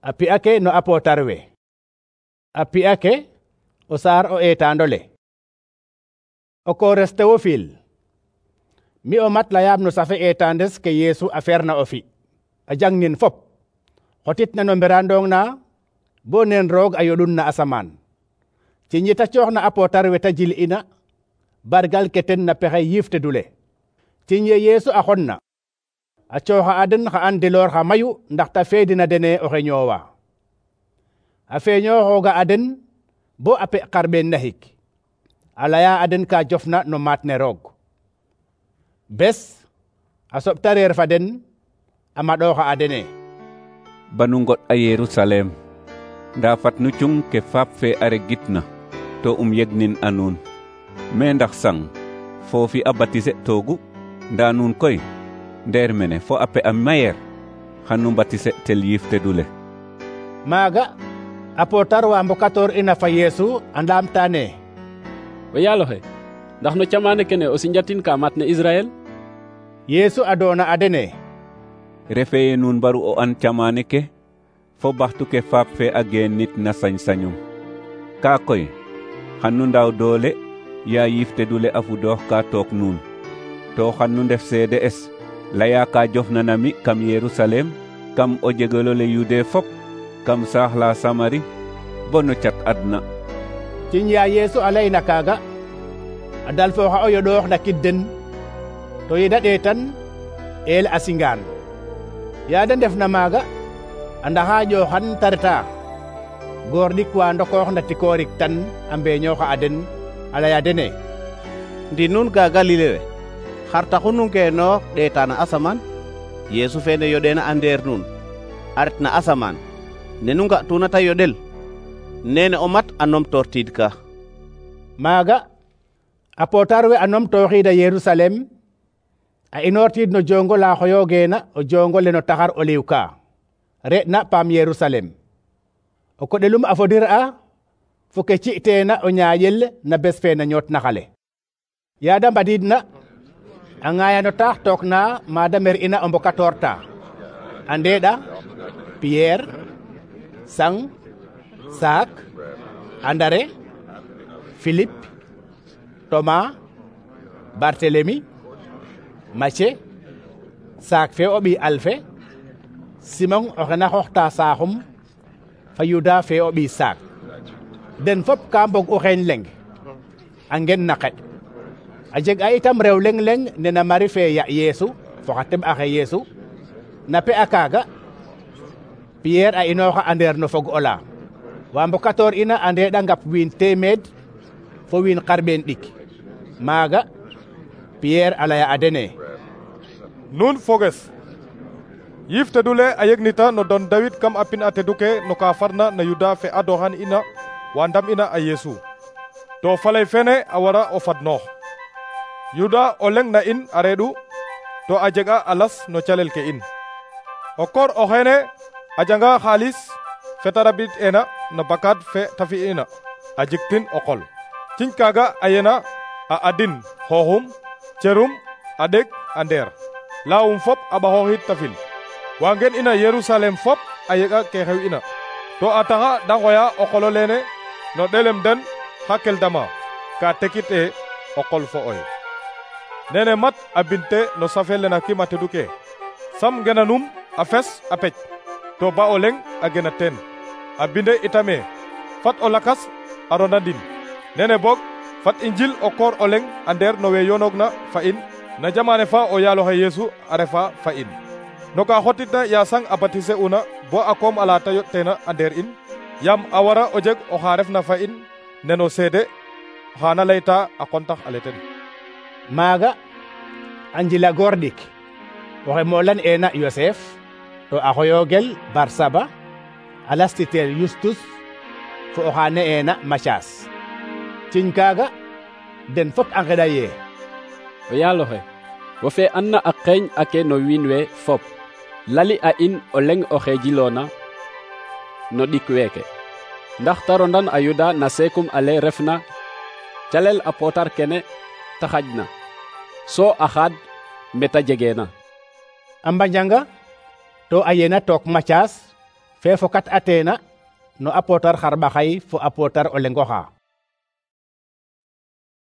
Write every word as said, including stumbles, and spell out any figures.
A pi'a ke no apotar we. A pi'a ke o saar o eetaandole. O koores Théophile, mi o mat layaam no safe eetaandes ke Yeesu a ferna o fi, a jangnin fop, xotit na no mberandong na bo neen roog a yoɗun na asamaan. Ci ñita coox na apotar we ta jil ina, bargal ke ten na pexey yiifte dule. Ci ye Yeesu a xon na, a cooxa a den xa andiloor xa mayu ndax ta feedina dene oxe ñoowa. A feeñooxooga a den bo a pe xarɓeen naxik, a laya a den ka jofna no maat ne roog. Bes a soɓta reer fa den a maɗooxa a dene: banu ngoɗ a Yerusalem, nda fat nu cung ke faap fe a regitna to um yegnin a nuun. Me ndax sang foofi a batise toogu, nda nuun koy ndeer mene fo a pe a mayeer xan nu batise tel yiifte dule. Maaga apotar wa mbokatoor ina fa Yeesu a ndaamtaane: o yaaloxe, ndax no camaane kene o sinjatin ka mat ne Israel? Yeesu a doona a dene: refeye nuun mbaru o an camaane ke fo baxtu ke faap fe a geenit na sañ-sañum. Kaa koy xan nu ndaaw doole yaa yiifte dule a fudoox ka took nuun, to xan nu ndef seede es laya ka jofna na mi kam Yerusalem, kam o jegelole Yude fop, kam saax la Samari, bo no cat adna. Ciñ ya Yeesu a layna kaaga, a dalfooxa o yoɗoox na kid den, to yeda ɗeetan eel a singaan. Yaada ndefna maaga a ndaxa ƴooxan ta reta, goor ɗik wa ndokoox na tikoorik tan a mbeeñooxa a den, a laya dene: ndi nuun ga Galile we, xar taxu nu ngeenoox ɗeeta na asamaan? Yeesu fene yoɗeena a ndeer nuun, a ret na asamaan, ne nu nga'tuna ta yoɗel, nene o mat a numtoortiid ka. Maaga apotar we a numtooxiida Yerusalem, a inoortiid no jongo la xoyoogeena o jongo le no taxar oliw ka, re'na paam Yerusalem. O koɗelum a fodir'a fo ke ci'teena o ñaaƴel na bes fe na ñootna xale. Yaada mbadiidna, a ŋaaya no taax took na maada mer'ina o mbokatoor ta, a ndeeɗa Pierre, Sang, Saak, Andare, Philippe, Thomas, Barthélemy, Mathie, Saak fe o ɓiy Alfe, Simon oxe na xooxta saaxum, fa Yuda fe o ɓiy Saak. Den fop ka mbog u xeeñ leng, a ngen na qeɗ. A jeg a itam rew leng leng nena Mari fe ya Yeesu fo xa teɓ axe Yeesu. Na pe a kaaga Pierre a inooxa a ndeer no fog ola, wa mbokatoor ina a ndeeɗa ngap wiin teemeed fo wiin xarɓeen ɗik. Maaga Pierre a laya a dene: nuun foges, yiifte dule a yegnita no don Dawid kam a pin a teduke no ka farna na Yuda fe a doxan ina wa ndam ina a Yeesu, to faley fene a wara o fadnoox. Yuda o leng na in a reeɗu, to a jega a las no calel ke in. O koor o xeene a janga xaalis fe ta rabid ena no bakad fe ta fi'ina a jiktin o qol. Ciñ kaaga a yena a adin xooxum, cerum, a ɗeg, a ndeer, laawum fop a ɓaxooxid ta fil. Wa ngen ina Yerusalem fop a yega ke xew ina, to a taxa da ngoya o qolo leene no ɗelem den xa Keldama, ka tekit e o qol fo oy. Nene mat a binte no safe lena kima teduke, sam ngenanum a fes a pec, to ba o leng a gena teen. A binde itame, fat o lakas a ronandin. Nene bog fat i njil o koor o leng a ndeer no we yonoogna fa in, na jamane fa o yaaloxe Yeesu a refa fa in. No ka xotitna ya sang a batise una bo a koom ala ta yoɗteena a ndeer in, yam a wara o jeg oxa refna fa in neno seede xana layta a qontax ale ten. Maaga a njila goor ɗik, oxe moolan eena Yosef, to a xoyoogel Barsaba, a lastiteel Yustus fo oxa ne'eena Matias. Ciñ kaaga den fop a ngeɗa ye: o yaaloxe, wo fe anna a qeeñ ake no wiin we fop, lali a in o leng oxe jiloona no ɗik weeke, ndax ta rondan a Yuda na seekum ale refna calel a pootar kene ta xajna, so a xaad mbeta jegeena. A mbanjanga to a yena took Matias fe fokat atena no apotar xarɓaxay fo apotar o lengoxa.